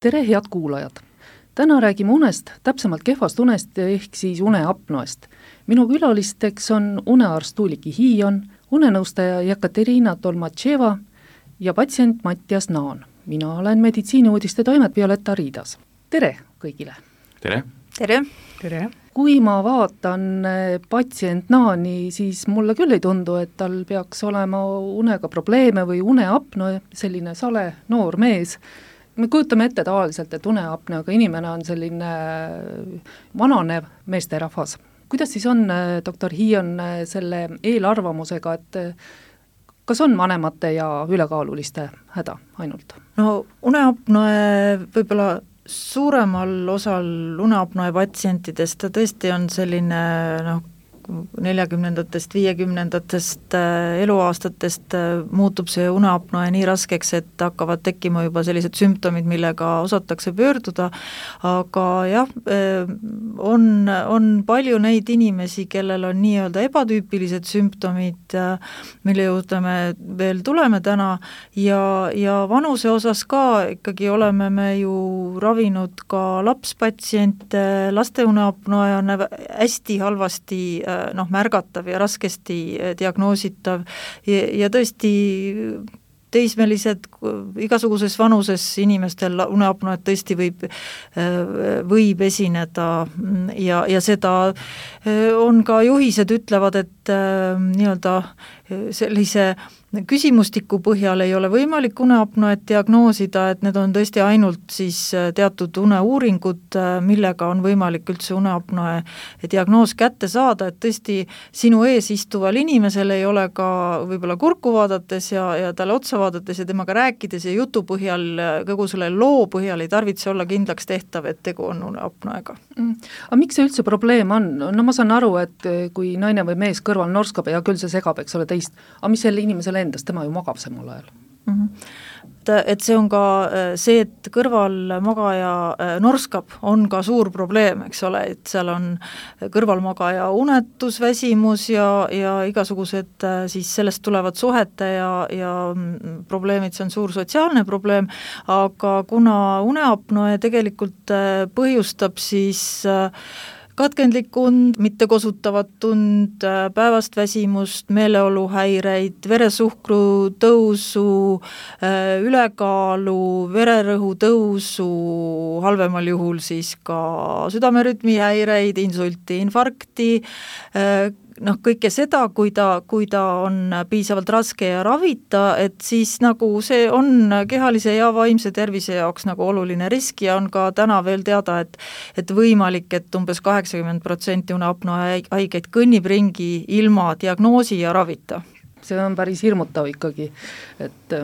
Tere, head kuulajad! Täna räägime unest, täpsemalt kehvast unest ehk siis uneapnoest. Minu külalisteks on unearst Tuuliki Hiion, unenõustaja Jekaterina Tolmatševa ja patsient Mattias Naan. Mina olen meditsiiniuudiste toimet Violetta Riidas. Tere kõigile! Tere! Tere! Tere! Kui ma vaatan patsient Naani, siis mulle küll ei tundu, et tal peaks olema unega probleeme või uneapno, selline sale noor mees. Me kujutame ette tavaliselt, et uneapneaga inimene on selline vananev meesterahvas. Kuidas siis on, doktor Hiion, selle eelarvamusega, et kas on vanemate ja ülekaaluliste häda ainult? No uneapnoe võib-olla suuremal osal uneapnoe patsientidest ta tõesti on selline 40-ndatest, 50-ndatest eluaastatest muutub see uneapnoe nii raskeks, et hakkavad tekkima juba sellised sümptomid, millega osatakse pöörduda, aga jah, on palju neid inimesi, kellel on nii-öelda ebatüüpilised sümptomid, mille juurde me veel tuleme täna, ja vanuse osas ka ikkagi oleme me ju ravinud ka lapspatsiente, laste uneapnoe on hästi halvasti märgatav ja raskesti diagnoositav ja tõesti teismelised, igasuguses vanuses inimestel uneapnoed tõesti võib esineda ja seda on ka juhised ütlevad, et nii-öelda sellise küsimustiku põhjal ei ole võimalik uneapnoet diagnoosida, et need on tõesti ainult siis teatud uneuuringud, millega on võimalik üldse uneapnoe diagnoos kätte saada, et tõesti sinu ees istuval inimesel ei ole ka võib-olla kurku vaadates ja talle otsa vaadates ja temaga rääkides ja jutu põhjal, kogu selle loo põhjal ei tarvitse olla kindlaks tehtav, et tegu on uneapnoega. Aga miks see üldse probleem on? No ma saan aru, et kui naine või mees kõrval norskab ja küll see segab, eks ole teist, aga mis selle inimesele endas, tema ju magab samal ajal. Et see on ka see, et kõrvalmagaja norskab, on ka suur probleem, eks ole, et seal on kõrvalmagaja unetus, väsimus ja igasugused siis sellest tulevad suhete ja probleemid, see on suur sotsiaalne probleem, aga kuna uneapnoe tegelikult põhjustab siis katkendlik und, mittekosutavat tund, päevast väsimust, meeleoluhäireid, veresuhkru tõusu, ülekaalu, vererõhu tõusu, halvemal juhul siis ka südamerütmihäireid, insulti, infarkti, kõike seda, kui ta on piisavalt raske ja ravita, et siis nagu see on kehalise ja vaimse tervise jaoks nagu oluline risk ja on ka täna veel teada, et võimalik, et umbes 80% uneapnoe haigeid kõnnib ringi ilma diagnoosi ja ravita. See on päris hirmutav ikkagi, et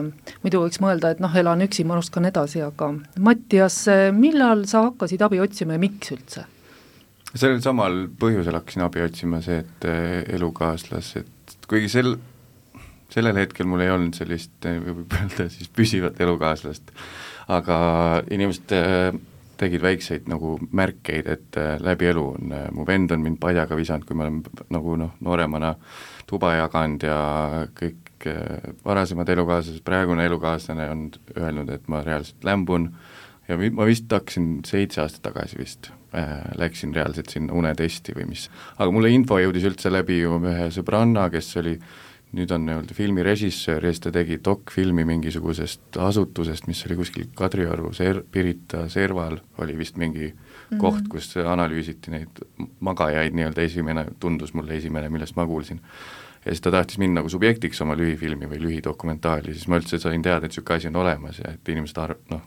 muidu võiks mõelda, et elan üksi, ma ruskan edasi, aga Mattias, millal sa hakkasid abi otsima ja miks üldse? Sellel samal põhjusel hakkasin abi otsima see, et elukaaslased, kuigi sellel hetkel mul ei olnud sellist, võib öelda siis püsivat elukaaslast, aga inimesed tegid väikseid nagu märkeid, et läbi elu on, mu vend on mind padjaga visanud, kui ma olen nagu nooremana tuba jaganud ja kõik varasemad elukaaslased, praegune elukaaslane on öelnud, et ma reaalselt lämbun ja ma vist hakkasin 7 aastat tagasi vist. Läksin reaalselt sinna unetesti või mis. Aga mulle info jõudis üldse läbi ju ühe sõbranna, kes oli, nüüd on filmirežissöör ja siis ta tegi dokfilmi mingisugusest asutusest, mis oli kuskil Kadrioru, Pirita serval oli vist mingi koht, kus analüüsiti neid magajaid, nii-öelda tundus mulle esimene, millest ma kuulsin. Ja siis ta tahtis minna nagu subjektiks oma lühifilmi või lühidokumentaali, siis ma üldse sain teada, et selline asi on olemas ja et inimesed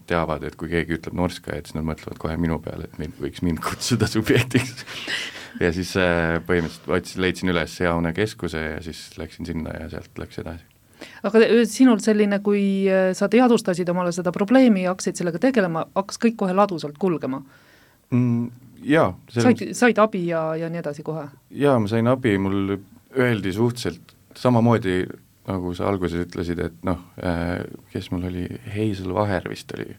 teavad, et kui keegi ütleb norska, et siis nad mõtlevad kohe minu peale, et võiks mind kutsuda subjektiks. Ja siis põhimõtteliselt leidsin üles hea unekeskuse ja siis läksin sinna ja sealt läks edasi. Aga sinul selline, kui sa teadvustasid omale seda probleemi ja hakkasid sellega tegelema, hakkas kõik kohe ladusalt kulgema? Jaa. Said abi ja nii edasi kohe? Jaa, ma sain abi, mul öeldi suhteliselt samamoodi, nagu sa alguses ütlesid, et kes mul oli, Hazel Vaher vist oli,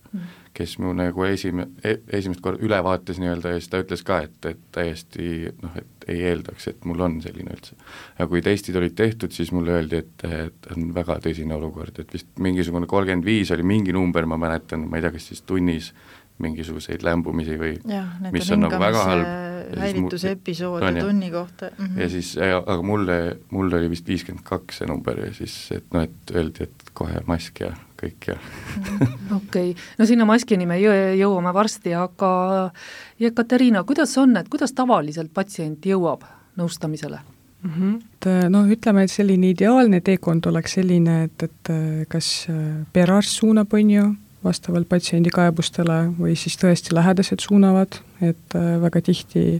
kes mu nagu esimest korda üle vaatas nii-öelda ja siis ta ütles ka, et täiesti et ei eeldaks, et mul on selline üldse. Ja kui testid olid tehtud, siis mulle öeldi, et on väga tõsine olukord, et vist mingisugune 35 oli mingi number, ma mäletan, ma ei tea, kas siis tunnis mingisuguseid lämbumisi või mis on nagu väga halb. Häirituse episoode tunni kohta. Ja siis, aga mulle oli vist 52 see number ja siis, et öeldi, et kohe mask ja kõik ja Okei. No sinna maskini me jõuame varsti, aga Jekaterina, kuidas on, et kuidas tavaliselt patsient jõuab nõustamisele? Ütleme, et selline ideaalne teekond oleks selline, et kas perearst suunab vastavalt patsiendi kaebustele või siis tõesti lähedased suunavad, et väga tihti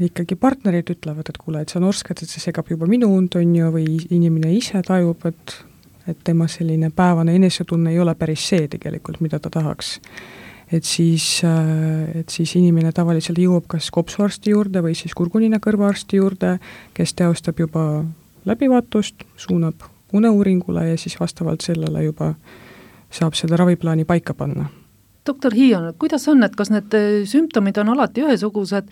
ikkagi partnerid ütlevad, et kuule, et sa norskad, et see segab juba minu und, või inimene ise tajub, et tema selline päevane enesetunne ei ole päris see tegelikult, mida ta tahaks. Et siis inimene tavaliselt jõuab kas kopsuarsti juurde või siis kurgunina kõrvaarsti juurde, kes teostab juba läbivaatust, suunab uneuuringule ja siis vastavalt sellele juba saab seda raviplaani paika panna. Doktor Hiion, kuidas on, et kas need sümptomid on alati ühesugused,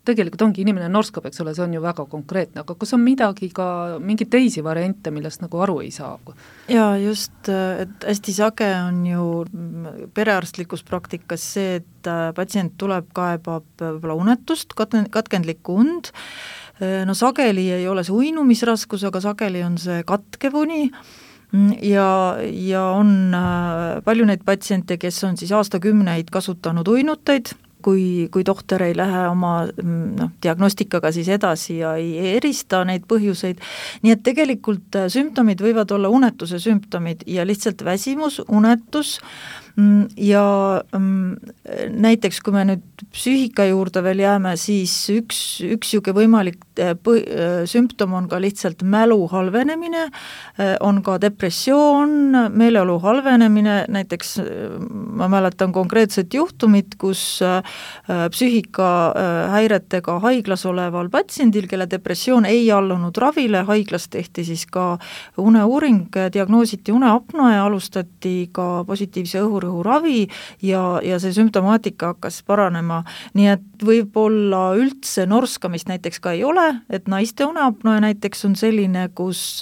tegelikult ongi inimene norskab, eks ole, see on ju väga konkreetne, aga kas on mingeid teisi variante, millest nagu aru ei saa? Jaa, just, et hästi sage on ju perearstlikus praktikas see, et patsient tuleb, kaebab võib-olla unetust, katkendlikku und, sageli ei ole see uinumisraskus, aga sageli on see katkev uni, ja on palju neid patsiente, kes on siis aastakümneid kasutanud uinuteid, kui tohter ei lähe oma diagnostikaga siis edasi ja ei erista neid põhjuseid, nii et tegelikult sümptomid võivad olla unetuse sümptomid ja lihtsalt väsimus, unetus ja näiteks kui me nüüd psüühika juurde veel jääme, siis üks juge võimalik sümptom on ka lihtsalt mälu halvenemine, on ka depressioon, meeleolu halvenemine, näiteks ma mäletan konkreetset juhtumit, kus psüühika häiretega haiglas oleval patsiendil, kelle depressioon ei allunud ravile, haiglas tehti siis ka uneuuring, diagnoositi uneapnoe ja alustati ka positiivse õhurõhuravi ja see sümptomaatika hakkas paranema, nii et võib-olla üldse norskamist näiteks ka ei ole, et naiste uneapnoe näiteks on selline, kus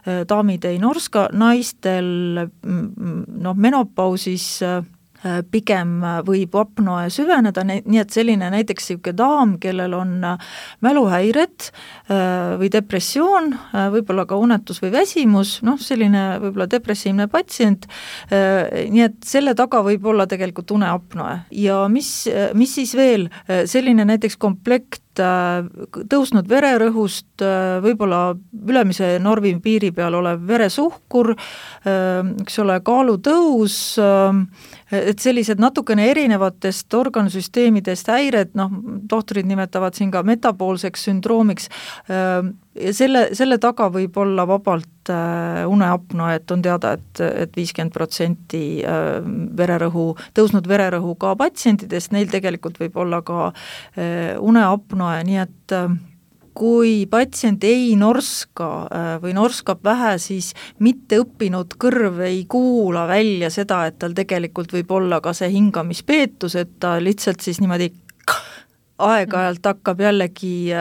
daamid ei norska, naistel menopausis pigem võib apnoe süveneda, nii et selline näiteks daam, kellel on mäluhäired või depressioon, võib-olla ka unetus või väsimus, selline võib-olla depressiivne patsient, nii et selle taga võib olla tegelikult uneapnoe. Ja mis siis veel, selline näiteks komplekt tõusnud vererõhust, võib-olla ülemise normi piiri peal olev veresuhkur, eks ole, kaalutõus, et sellised natukene erinevatest organsüsteemidest häired, tohtorid nimetavad siin ka metaboolseks sündroomiks, ja selle taga võib olla vabalt uneapnoe, et on teada, et 50% tõusnud vererõhuga patsientidest, neil tegelikult võib olla ka uneapnoe, nii et kui patsient ei norska või norskab vähe, siis mitteõppinud kõrv ei kuula välja seda, et tal tegelikult võib olla ka see hingamispeetus, et ta lihtsalt siis niimoodi aeg-ajalt hakkab jällegi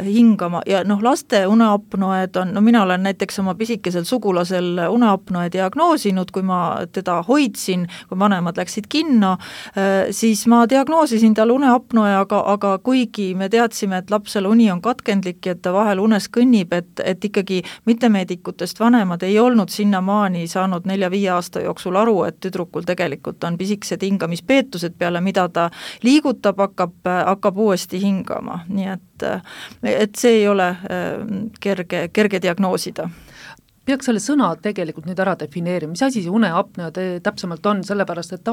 hingama ja laste uneapnoed on, mina olen näiteks oma pisikesel sugulasel uneapnoe diagnoosinud, kui ma teda hoidsin, kui vanemad läksid kinno, siis ma diagnoosisin tal uneapnoe, aga kuigi me teadsime, et lapsel uni on katkendlik ja et ta vahel unes kõnnib, et ikkagi mittemeedikutest vanemad ei olnud sinnamaani saanud 4-5 aasta jooksul aru, et tüdrukul tegelikult on pisikesed hingamispeetused, peale mida ta liigutab, hakkab uuesti hingama, nii et see ei ole kerge diagnoosida. Peaks selle sõna tegelikult nüüd ära defineerima, mis asi see uneapnoe täpsemalt on, sellepärast et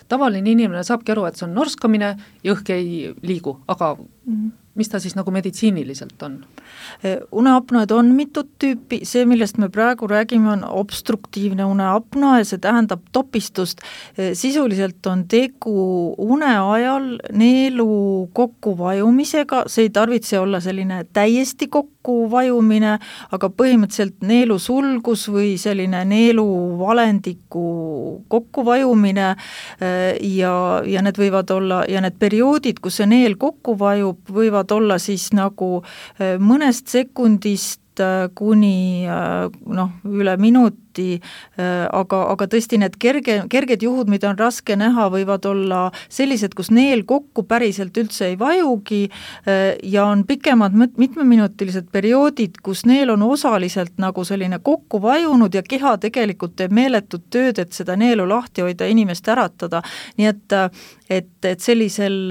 tavaline inimene saabki aru, et see on norskamine, jõhk ei liigu, aga mis ta siis nagu meditsiiniliselt on? Uneapnoed on mitut tüüpi, see, millest me praegu räägime, on obstruktiivne uneapnoe ja see tähendab topistust. Sisuliselt on tegu une ajal neelu kokkuvajumisega, see ei tarvitse olla selline täiesti kokkuvajumine, aga põhimõtteliselt neelusulgus või selline neeluvalendiku kokkuvajumine ja need võivad olla, ja need perioodid, kus see neel kokku vajub, võivad olla siis nagu mõnest sekundist kuni üle minuti, aga tõesti need kerged juhud, mida on raske näha, võivad olla sellised, kus neel kokku päriselt üldse ei vajugi ja on pikemad mitmeminutilised perioodid, kus neel on osaliselt nagu selline kokku vajunud ja keha tegelikult teeb meeletut tööd, et seda neelu lahti hoida, inimest äratada. Nii et sellisel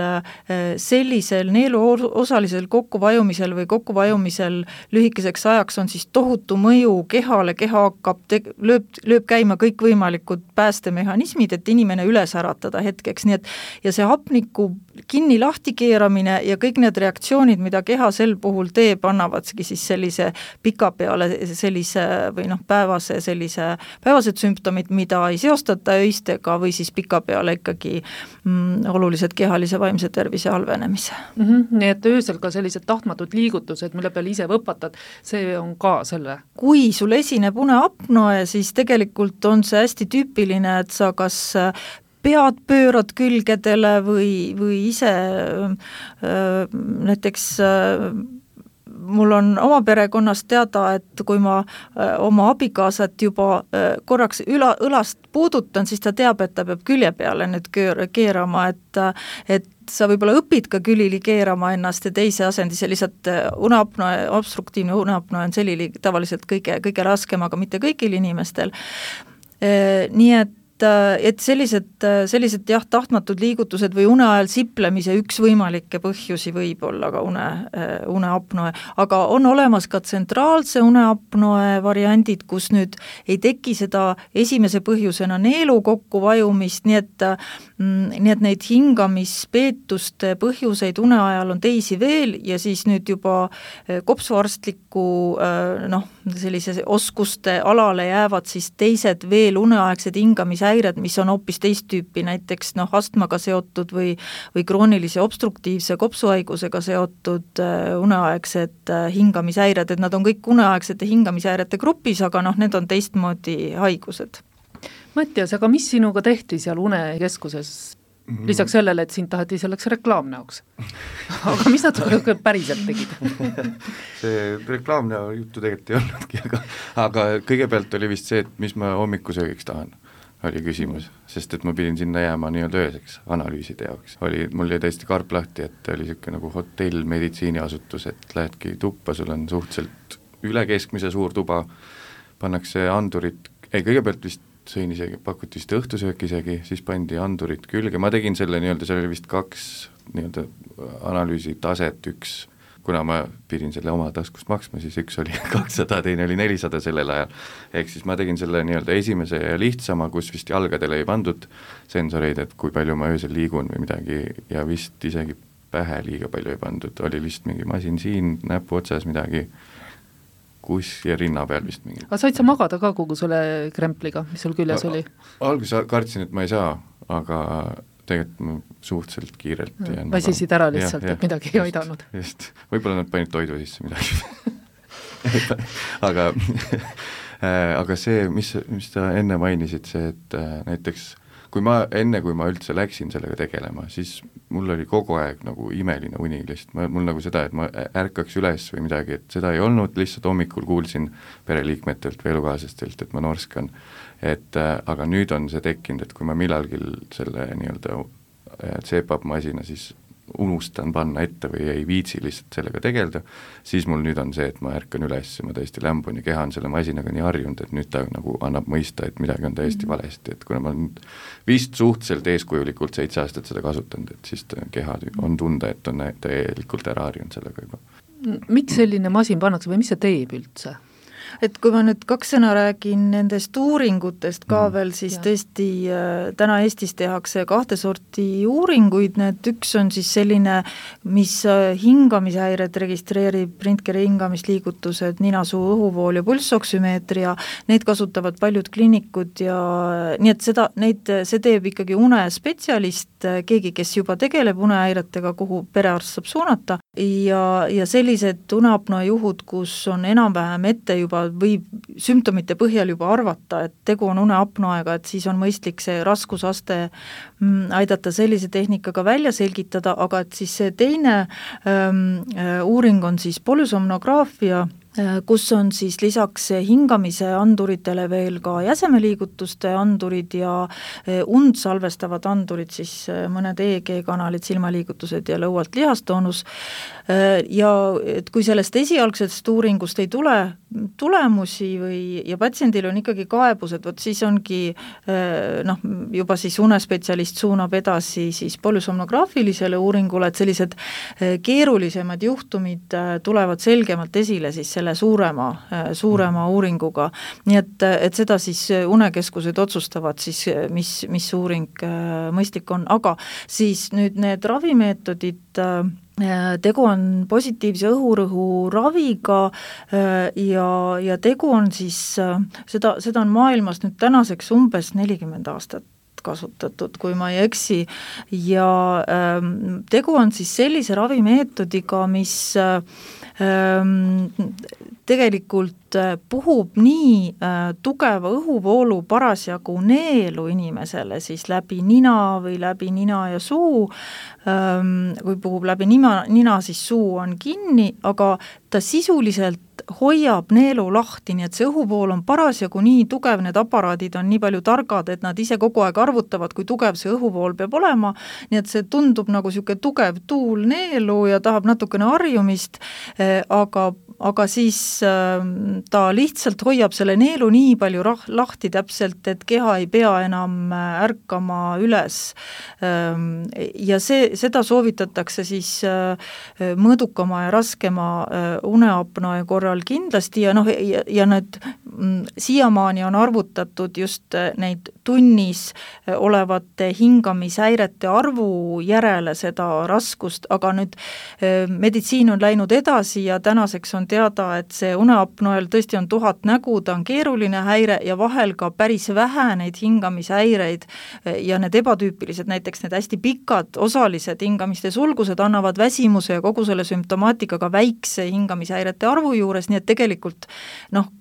neelu osalisel kokkuvajumisel või kokkuvajumisel lühikeseks ajaks on siis tohutu mõju kehale, keha hakkab, lööb käima kõikvõimalikud päästemehhanismid, et inimene üles äratada hetkeks, nii et ja see hapniku kinni lahti keeramine ja kõik need reaktsioonid, mida keha sel puhul teeb, annavadki siis sellise pika peale sellise või päevased sümptomid, mida ei seostata öistega või siis pika peale ikkagi olulised kehalise vaimse tervise halvenemise. Nii et öösel ka sellised tahtmatud liigutused, mille peale ise võpatad, see on ka selle? Kui sul esineb uneapnoe, siis tegelikult on see hästi tüüpiline, et sa kas pead pöörad külgedele või ise näiteks mul on oma perekonnast teada, et kui ma oma abikaasat juba korraks õlast puudutan, siis ta teab, et ta peab külje peale nüüd keerama, et sa võib-olla õpid ka külili keerama ennast ja teise asendi, see lihtsalt uneapnoe, obstruktiivne uneapnoe on selline tavaliselt kõige raskem, aga mitte kõigil inimestel. Nii et sellised jah, tahtmatud liigutused või une ajal siplemise üks võimalikke põhjusi võib olla ka uneapnoe, aga on olemas ka tsentraalse uneapnoe variandid, kus nüüd ei teki seda esimese põhjusena neelu kokkuvajumist, nii et neid hingamispeetuste põhjuseid une ajal on teisi veel ja siis nüüd juba kopsuarstliku sellise oskuste alale jäävad siis teised veel uneaegsed hingamishäired, mis on hoopis teist tüüpi, näiteks astmaga seotud või kroonilise obstruktiivse kopsuhaigusega seotud uneaegsed hingamishäired, et nad on kõik uneaegsete hingamishäirete grupis, aga need on teistmoodi haigused. Mattias, aga mis sinuga tehti seal unekeskuses? Lisaks sellele, et sind taheti selleks reklaamnäoks. Aga mis nad päriselt tegid? See reklaamnäo juttu tegelikult ei olnudki, aga kõigepealt oli vist see, et mis ma hommikusöögiks tahan, oli küsimus, sest et ma pidin sinna jääma nii-öelda ööseks analüüside jaoks. Mul jäi täiesti karp lahti, et oli niisugune nagu hotell, meditsiiniasutus, et lähedki tuppa, sul on suhteliselt üle keskmise suur tuba, pannakse andurid, kõigepealt vist sõin isegi, pakuti vist õhtusöök isegi, siis pandi andurid külge, ma tegin selle nii-öelda, seal oli vist 2 nii-öelda analüüsi taset, üks, kuna ma pidin selle oma taskust maksma, siis üks oli 200, teine oli 400 sellel ajal, ehk siis ma tegin selle nii-öelda esimese ja lihtsama, kus vist jalgadele ei pandud sensoreid, et kui palju ma öösel liigun või midagi ja vist isegi pähe liiga palju ei pandud, oli vist mingi masin siin, näpu otsas midagi, kus ja rinna peal vist mingi. Aga said sa magada ka kogu selle krempliga, mis sul küljes oli? Alguses kartsin, et ma ei saa, aga tegelikult ma suhteliselt kiirelt väsisid ära lihtsalt, et midagi ei aidanud. Just, võib-olla nad panid toidu sisse midagi. aga see, mis sa enne mainisid, see, et näiteks kui ma üldse läksin sellega tegelema, siis mul oli kogu aeg nagu imeline uni lihtsalt, mul nagu seda, et ma ärkaks üles või midagi, et seda ei olnud, lihtsalt hommikul kuulsin pereliikmetelt või elukaaslastelt, et ma norskan, aga nüüd on see tekkinud, et kui ma millalgi selle nii-öelda CPAP-masina siis unustan panna ette või ei viitsi lihtsalt sellega tegeleda, siis mul nüüd on see, et ma ärkan üles, ma täiesti lämbun ja keha on selle masinaga nii harjunud, et nüüd ta nagu annab mõista, et midagi on täiesti valesti, et kuna ma nüüd vist suhteliselt eeskujulikult 7 aastat seda kasutanud, et siis keha on tunda, et on täielikult ära harjunud sellega juba. Miks selline masin pannakse või mis see teeb üldse? Et kui ma nüüd 2 sõna räägin nendest uuringutest ka veel, siis tõesti täna Eestis tehakse 2 sorti uuringuid, need üks on siis selline, mis hingamishäired registreerib, röntgeni hingamisliigutused, ninasuu, õhuvool ja pulssoksümeetria, neid kasutavad paljud kliinikud ja nii et see teeb ikkagi unespetsialist, keegi, kes juba tegeleb unehäiretega, kuhu perearst saab suunata ja sellised uneapnoe juhud, kus on enam-vähem ette juba või sümptomite põhjal juba arvata, et tegu on uneapnoega, et siis on mõistlik see raskusaste aidata sellise tehnikaga välja selgitada, aga et siis see teine uuring on siis polüsomnograafia, kus on siis lisaks hingamise anduritele veel ka jäsemeliigutuste andurid ja und salvestavad andurid, siis mõned EEG-kanalid, silmaliigutused ja lõualt lihastoonus. Ja et kui sellest esialgsest uuringust ei tule tulemusi ja patsiendil on ikkagi kaebused, võt siis ongi juba siis unespetsialist suunab edasi siis polüsomnograafilisele uuringule, et sellised keerulisemad juhtumid tulevad selgemalt esile siis selle suurema uuringuga. Nii et seda siis unekeskused otsustavad siis, mis uuring mõistlik on, aga siis nüüd need ravimeetodid, tegu on positiivse õhurõhu raviga ja tegu on siis, seda on maailmas nüüd tänaseks umbes 40 aastat kasutatud, kui ma ei eksi, ja tegu on siis sellise ravimeetodiga, mis tegelikult puhub nii tugeva õhuvoolu parasjagu neelu inimesele siis läbi nina või läbi nina ja suu, kui puhub läbi nina, siis suu on kinni, aga ta sisuliselt hoiab neelu lahti, nii et see õhuvool on parasjagu nii tugev, need aparaadid on nii palju targad, et nad ise kogu aeg arvutavad, kui tugev see õhuvool peab olema, nii et see tundub nagu niisugune tugev tuul neelu ja tahab natukene harjumist, aga siis ta lihtsalt hoiab selle neelu nii palju lahti täpselt, et keha ei pea enam ärkama üles. Ja seda soovitatakse siis mõõdukama ja raskema uneapnoe korral kindlasti ja need siiamaani on arvutatud just neid tunnis olevate hingamishäirete arvu järele seda raskust, aga nüüd meditsiin on läinud edasi ja tänaseks on teada, et see uneapnoel tõesti on 1000 nägu, ta on keeruline häire ja vahel ka päris vähe neid hingamishäireid ja need ebatüüpilised, näiteks need hästi pikad osalised hingamiste sulgused annavad väsimuse ja kogu selle sümptomaatikaga väikse hingamishäirete arvu juures, nii et tegelikult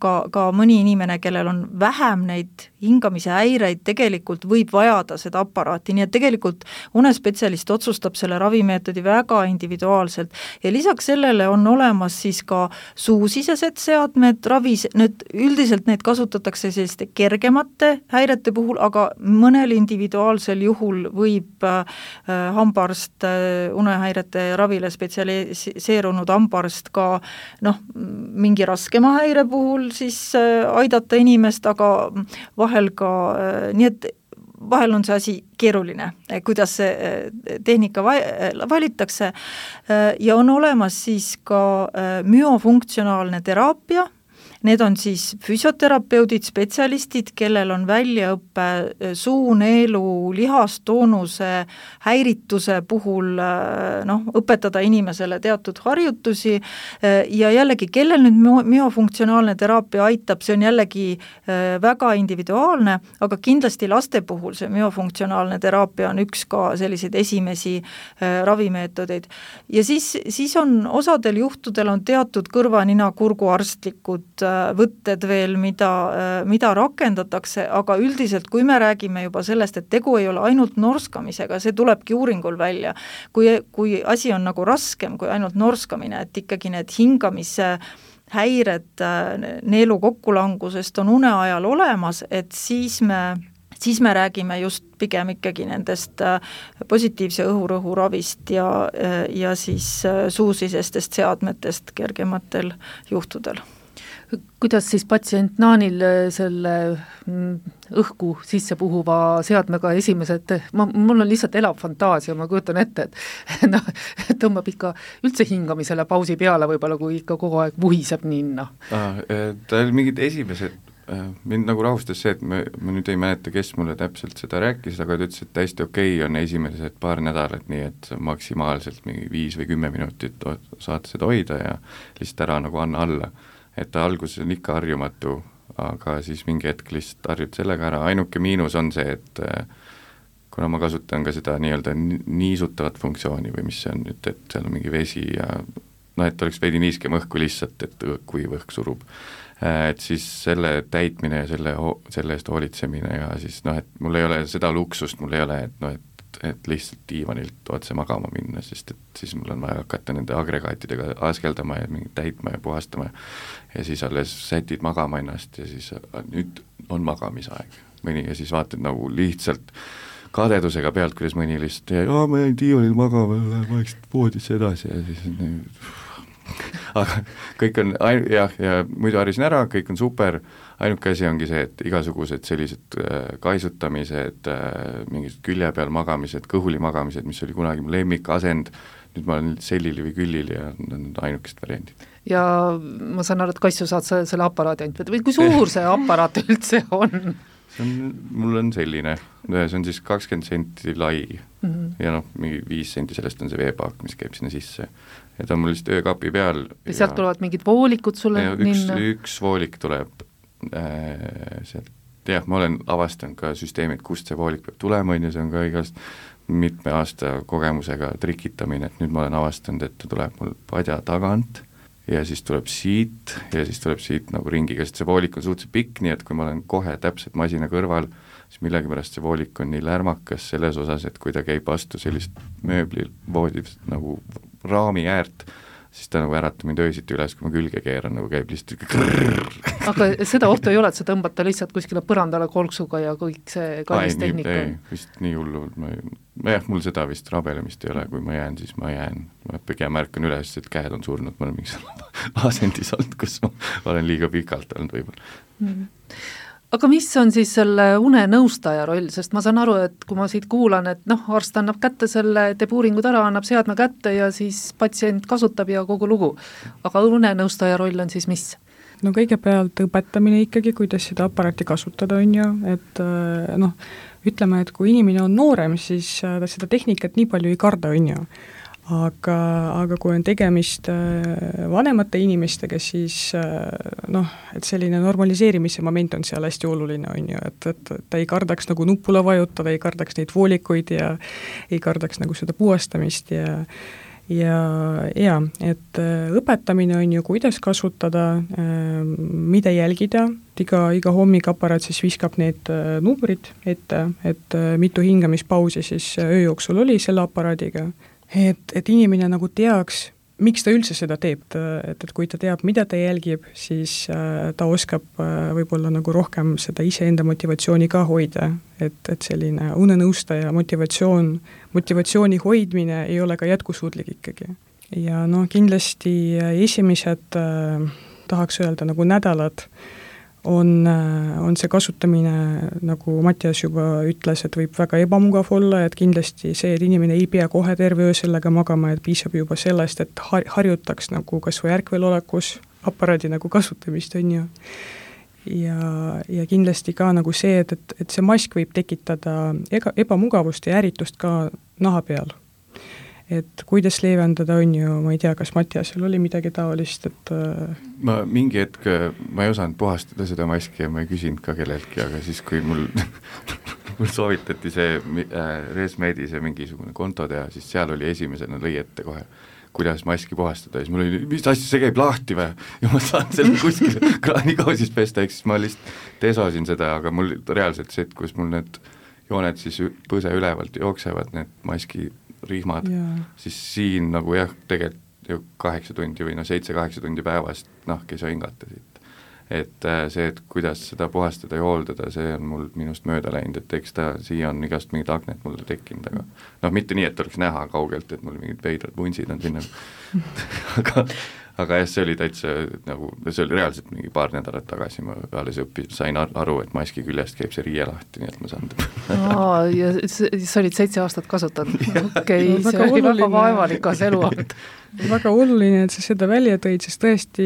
ka mõni inimene, kellel on vähem neid hingamise häireid, tegelikult võib vajada seda aparaati, nii et tegelikult unespetsialist otsustab selle ravimeetodi väga individuaalselt ja lisaks sellele on olemas siis ka suusisesed seadmed, nüüd üldiselt neid kasutatakse selliste kergemate häirete puhul, aga mõnel individuaalsel juhul võib hambaarst, unehäirete ravile spetsialiseerunud hambaarst ka mingi raskema häire puhul siis aidata inimest, aga vahel ka, nii et vahel on see asi keeruline, kuidas see tehnika valitakse ja on olemas siis ka myofunktsionaalne teraapia. Need on siis füsioterapeudid, spetsialistid, kellel on väljaõppe suu, neelu, lihastoonuse häirituse puhul õpetada inimesele teatud harjutusi ja jällegi, kellel nüüd myofunktsionaalne teraapia aitab, see on jällegi väga individuaalne, aga kindlasti laste puhul see myofunktsionaalne teraapia on üks ka selliseid esimesi ravimeetodeid. Ja siis on osadel juhtudel on teatud kõrva, nina, kurgu arstlikud võtted veel, mida rakendatakse, aga üldiselt, kui me räägime juba sellest, et tegu ei ole ainult norskamisega, see tulebki uuringul välja, kui asi on nagu raskem kui ainult norskamine, et ikkagi need hingamise häired neelu kokkulangusest on une ajal olemas, et siis me räägime just pigem ikkagi nendest positiivse õhurõhu ravist ja siis suusisestest seadmetest kergematel juhtudel. kuidas siis patsient Naanil selle õhku sisse puhuva seadmega esimesed, mul on lihtsalt elav fantaasia, ma kujutan ette, et noh, tõmbab ikka üldse hingamisele pausi peale võib-olla, kui ikka kogu aeg vuhiseb ninna. Ta oli mingid esimesed, mind nagu rahustas see, et ma nüüd ei mäleta, kes mulle täpselt seda rääkis, aga ta ütles, et täiesti okei on esimesed paar nädalat, nii et maksimaalselt mingi 5 või 10 minutit saad seda hoida ja lihtsalt ära nagu anna alla. Et ta alguses on ikka harjumatu, aga siis mingi hetk lihtsalt harjud sellega ära, ainuke miinus on see, et kuna ma kasutan ka seda nii-öelda niisutavat funktsiooni või mis see on nüüd, et seal on mingi vesi ja noh, et oleks veidi niiskem õhku lihtsalt, et kuiv õhk surub. Et siis selle täitmine ja selle eest hoolitsemine ja siis noh, et mul ei ole seda luksust, mul ei ole, et noh, et lihtsalt diivanilt otse magama minna, sest et siis mul on vaja hakata nende agregaatidega askeldama ja mingi täitma ja puhastama ja siis alles sätid magama ennast ja siis nüüd on magamisaeg mõni ja siis vaatad nagu lihtsalt kadedusega pealt, kuidas mõni lihtsalt ma jäin diivanil magama, lähen vaikselt voodisse edasi ja siis aga kõik on, ja muidu harisin ära, kõik on super, ainuke asi ongi see, et igasugused sellised kaisutamised, mingid külje peal magamised, kõhuli magamised, mis oli kunagi mu lemmikasend, nüüd ma olen sellili või küllili ja on ainukesed variandid. Ja ma saan aru, et Kaissu saad selle aparaadi ainult või kui suur see aparaat üldse on? Mul on selline, see on siis 20 senti lai ja noh, mingi 5 senti sellest on see veepaak, mis käib sinna sisse ja ta on mul lihtsalt öökapi peal. Ja sealt tulevad mingid voolikud sulle ninna? Üks voolik tuleb sealt, jah, ma olen avastanud ka süsteemid, kust see voolik peab tulema, ja see on ka igast mitme aasta kogemusega trikitamine, et nüüd ma olen avastanud, et ta tuleb mul padja tagant ja siis tuleb siit ja siis tuleb siit nagu ringiga, sest see voolik on suhteliselt pikk, nii et kui ma olen kohe täpselt masina kõrval, siis millegipärast see voolik on nii lärmakas selles osas, et kui ta käib vastu sellist mööbli voodi nagu raami äärt, siis ta nagu äratab mind öösiti üles, kui ma külge keeran, nagu käib lihtsalt aga seda ohtu ei ole, et sa tõmbad ta lihtsalt kuskile põrandale kolksuga ja kõik see kallis tehnika? Ei, vist nii hullu, mul seda vist rabelemist ei ole, kui ma jään, siis ma jään. Ma pigem märkan üles, et käed on surnud, ma olen mingi asendis olnud, kus ma olen liiga pikalt olnud võib-olla. Aga mis on siis selle unenõustaja roll, sest ma saan aru, et kui ma siit kuulan, et noh, arst annab kätte selle, teeb uuringud ära, annab seadme kätte ja siis patsient kasutab ja kogu lugu. Aga unenõustaja roll on siis mis? No kõigepealt õpetamine ikkagi, kuidas seda aparaati kasutada on ju, et noh, ütleme, et kui inimene on noorem, siis ta seda tehnikat nii palju ei karda on ju. Aga kui on tegemist vanemate inimestega, siis noh, et selline normaliseerimise moment on seal hästi oluline, on ju, et ta ei kardaks nagu nuppula vajutada, ei kardaks neid voolikuid ja ei kardaks nagu seda puhastamist ja et õpetamine on ju, kuidas kasutada, mida jälgida, iga hommik aparaat siis viskab need numbrid ette, et mitu hingamispausi siis öö jooksul oli selle aparaadiga. Et inimene nagu teaks, miks ta üldse seda teeb, et kui ta teab, mida ta jälgib, siis ta oskab võib-olla nagu rohkem seda iseenda motivatsiooni ka hoida, et selline unenõustaja motivatsiooni hoidmine ei ole ka jätkusuutlik ikkagi. Ja noh, kindlasti esimesed, tahaks öelda, nagu nädalad on see kasutamine, nagu Mattias juba ütles, et võib väga ebamugav olla, et kindlasti see, et inimene ei pea kohe terve öö sellega magama, et piisab juba sellest, et harjutaks nagu kas või ärkvelolekus aparaadi nagu kasutamist on ju. Ja kindlasti ka nagu see, et see mask võib tekitada ebamugavust ja ärritust ka naha peal. Et kuidas leevendada on ju, ma ei tea, kas Mattiasel oli midagi taolist, et ma mingi hetk, ma ei osanud puhastada seda maski ja ma ei küsinud ka kelleltki, aga siis kui mul soovitati see Resmedi see mingisugune konto teha, siis seal oli esimesena lõi ette kohe, kuidas maski puhastada ja siis mul oli, mis asja, see käib lahti või? Ja ma saan selle kuskile kraanikausis pesta, eks siis ma lihtsalt desosin seda, aga mul reaalselt see, et kus mul need jooned siis põse ülevalt jooksevad, need maski rihmad, siis siin nagu jah, tegelikult ju 8 tundi või 7-8 tundi päevast nahk ei saa hingata siit. Et see, et kuidas seda puhastada ja hooldada, see on mul minust mööda läinud, et eks ta siia on igast mingid akned mulle tekkinud, aga noh, mitte nii, et oleks näha kaugelt, et mul mingid veidrad vunsid on sinna aga jah, see oli täitsa nagu, see oli reaalselt mingi paar nädalat tagasi, ma alles sain aru, et maski küljest käib see riie lahti, nii et ma saan ja sa olid 7 aastat kasutanud, okei, see oli väga vaevalikas eluaht. Väga oluline, et sa seda välja tõid, sest tõesti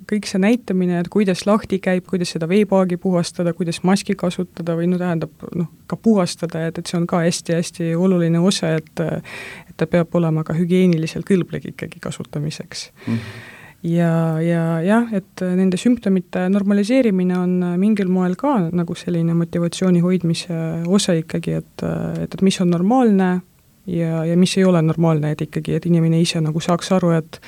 kõik see näitamine, et kuidas lahti käib, kuidas seda veepaagi puhastada, kuidas maski kasutada või tähendab ka puhastada, et see on ka hästi-hästi oluline osa, et ta peab olema ka hügieeniliselt kõlblik ikkagi kasutamiseks. Ja, et nende sümptomite normaliseerimine on mingil moel ka nagu selline motivatsiooni hoidmise osa ikkagi, et mis on normaalne ja mis ei ole normaalne, et ikkagi, et inimene ise nagu saaks aru, et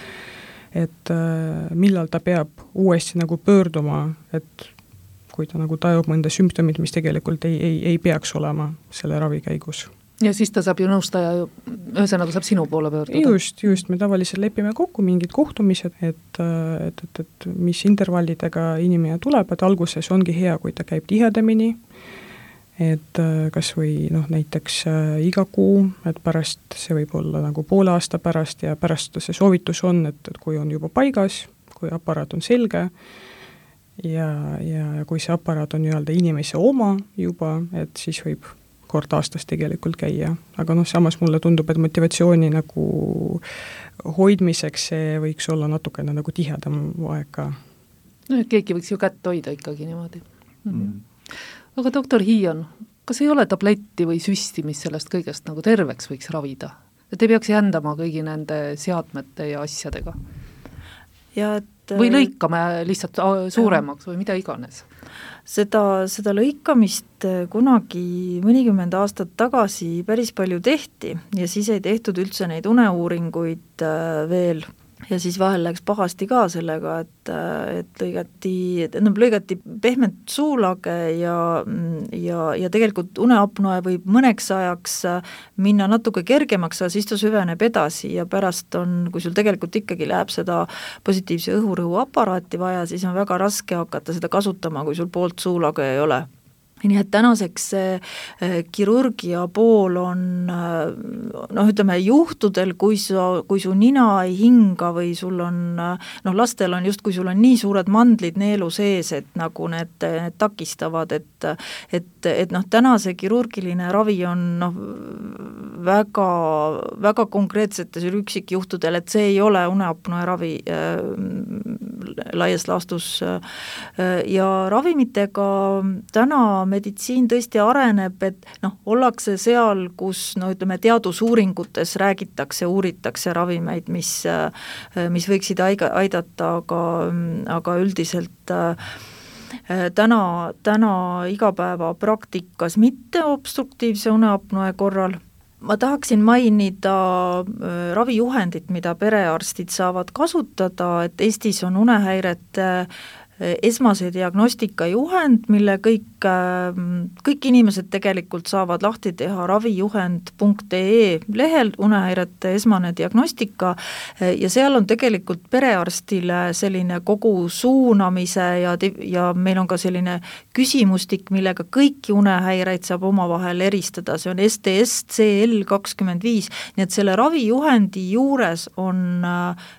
millal ta peab uuesti nagu pöörduma, et kui ta nagu tajub mõnda sümptomit, mis tegelikult ei peaks olema selle ravi käigus. Ja siis ta saab ju nõustaja, ühesõnaga saab sinu poole pöörduda. Just, me tavaliselt lepime kokku mingid kohtumised, et mis intervallidega inimene tuleb, et alguses ongi hea, kui ta käib tihedamini, et kas või näiteks iga kuu, et pärast see võib olla nagu poole aasta pärast ja pärast see soovitus on, et kui on juba paigas, kui aparaat on selge ja kui see aparaat on inimese oma juba, et siis võib kord aastas tegelikult käia, aga samas mulle tundub, et motivatsiooni nagu hoidmiseks see võiks olla natukene nagu tihedam aeg ka. Keegi võiks ju kätt hoida ikkagi niimoodi. Aga doktor Hiion, kas ei ole tabletti või süsti, mis sellest kõigest nagu terveks võiks ravida? Et ei peaks jändama kõigi nende seadmete ja asjadega? Või lõikame lihtsalt suuremaks või mida iganes? Seda lõikamist kunagi mõnikümmend aastat tagasi päris palju tehti ja siis ei tehtud üldse neid uneuuringuid veel ja siis vahel läks pahasti ka sellega, et lõigati pehmet suulage ja tegelikult uneapnoe võib mõneks ajaks minna natuke kergemaks, aga siis ta süveneb edasi ja pärast on, kui sul tegelikult ikkagi läheb seda positiivse õhurõhu aparaati vaja, siis on väga raske hakata seda kasutama, kui sul poolt suulage ei ole. Nii et tänaseks see kirurgia pool on juhtudel, kui su nina ei hinga või sul on, lastel on just, kui sul on nii suured mandlid neelu sees, et nagu need takistavad, et täna see kirurgiline ravi on väga, väga konkreetsetes üksikjuhtudel, et see ei ole uneapnoe ravi laias laastus ja ravimitega täna meditsiin tõesti areneb, et ollakse seal, kus teadusuuringutes uuritakse ravimeid, mis võiksid aidata, aga üldiselt täna igapäeva praktikas mitte obstruktiivse uneapnoe korral. Ma tahaksin mainida ravijuhendit, mida perearstid saavad kasutada, et Eestis on unehäirete esmase diagnostika juhend, mille kõik inimesed tegelikult saavad lahti teha ravijuhend.ee lehel, unehäirete esmane diagnostika ja seal on tegelikult perearstile selline kogu suunamise ja meil on ka selline küsimustik, millega kõiki unehäireid saab omavahel eristada, see on STS CL25, nii et selle ravijuhendi juures on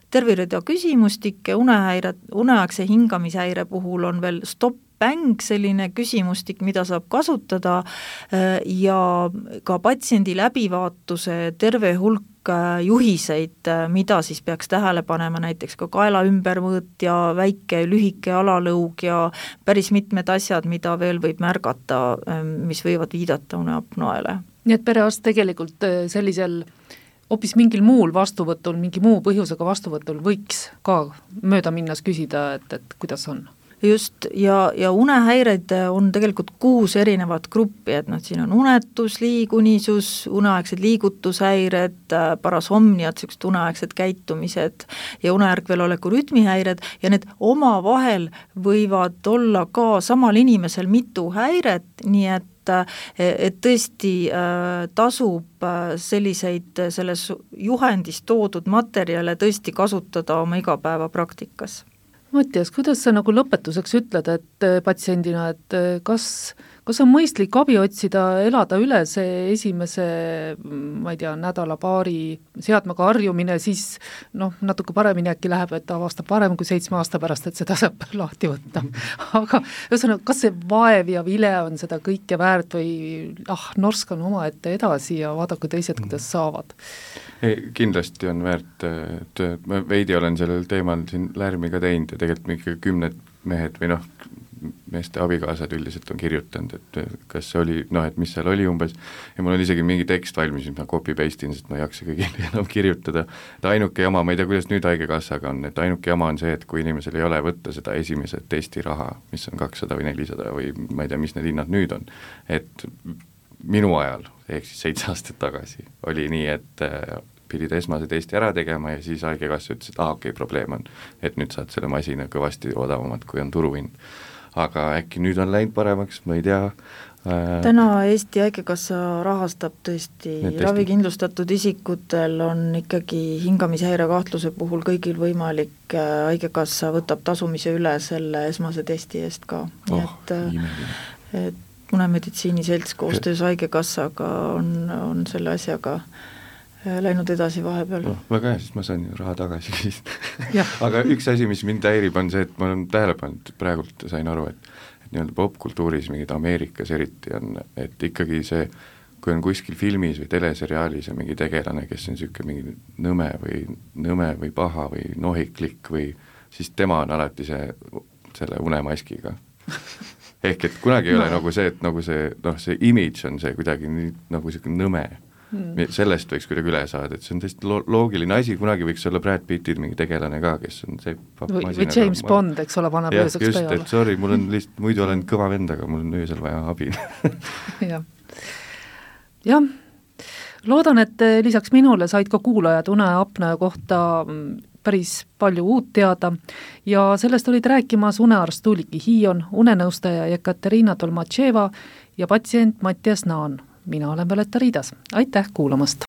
terve rida küsimustikke, uneaegse hingamishäire puhul on veel stop-bang, selline küsimustik, mida saab kasutada ja ka patsiendi läbivaatuse terve hulk juhiseid, mida siis peaks tähele panema, näiteks ka kaela ümbermõõt ja väike lühike alalõug ja päris mitmed asjad, mida veel võib märgata, mis võivad viidata uneapnoele. Nii et perearst tegelikult sellisel hoopis mingil muul vastuvõtul, mingi muu põhjusega vastuvõtul võiks ka mööda minnas küsida, et kuidas on? Just, ja unehäireid on tegelikult 6 erinevat gruppi, et siin on unetus, liigunisus, uneaegsed liigutushäired, parasomniad, sellised uneaegsed käitumised ja uneärkveloleku rütmihäired ja need omavahel võivad olla ka samal inimesel mitu häiret, nii et tõesti tasub selliseid selles juhendis toodud materjale tõesti kasutada oma igapäeva praktikas. Mattias, kuidas sa nagu lõpetuseks ütled, et patsiendina, et kas kas on mõistlik abi otsida, elada üle see esimese, ma ei tea, nädala-paari seadmega harjumine, siis natuke paremini äkki läheb, et avastab parem kui 7 aasta pärast, et seda saab lahti võtta. Aga ühesõnaga, kas see vaev ja vile on seda kõike väärt või norskan omaette edasi ja vaadake teised, kuidas saavad? Kindlasti on väärt tööd, ma veidi olen sellel teemal siin lärmi ka teinud ja tegelikult ikka 10 mehed või meeste abikaasad üldiselt on kirjutanud, et kas see oli, et mis seal oli umbes, ja mul on isegi mingi tekst valmis, mis ma copy-paste'in, sest ma ei jaksa kõigile enam kirjutada, et ainuke jama, ma ei tea, kuidas nüüd haigekassaga on, et ainuke jama on see, et kui inimesel ei ole võtta seda esimese testiraha, mis on 200 või 400 või ma ei tea, mis need hinnad nüüd on, et minu ajal, ehk siis 7 aastat tagasi, oli nii, et pidid esmase testi ära tegema ja siis haigekassa ütles, et okei, probleem on, et nüüd saad selle masina kõvasti odavamad, kui on turuhind. Aga äkki nüüd on läinud paremaks, ma ei tea. Täna Eesti Haigekassa rahastab tõesti ravikindlustatud isikutel on ikkagi hingamishäire kahtluse puhul kõigil võimalik, Haigekassa võtab tasumise üle selle esmase testi eest ka. Et Unemeditsiiniselts koostöös Haigekassaga on selle asjaga läinud edasi vahepeal. Väga hea, siis ma saan raha tagasi aga üks asi, mis mind häirib, on see, et ma olen tähele pannud, praegult sain aru, et nii-öelda popkultuuris mingid Ameerikas eriti on, et ikkagi see, kui on kuskil filmis või teleseriaalis ja mingi tegelane, kes on niisugune mingi nõme või paha või nohiklik või siis tema on alati selle unemaskiga. Ehk et kunagi ei ole nagu see, et nagu see image on see kuidagi nii, nagu niisugune nõme. Sellest võiks kuidagi üle saada, et see on tõesti loogiline asi, kunagi võiks olla Brad Pittid mingi tegelane ka, kes on see või James Bond, eks ole, paneb ööseks peale. Just, et sorry, mul on lihtsalt, muidu olen kõva vend, aga mul on öösel vaja abi. jah, loodan, et lisaks minule said ka kuulajad uneapnea kohta päris palju uut teada ja sellest olid rääkimas unearst Tuuliki Hiion, unenõustaja Ekaterina Tolmatševa ja patsient Mattias Naan. Mina olen Violetta Riidas. Aitäh kuulamast!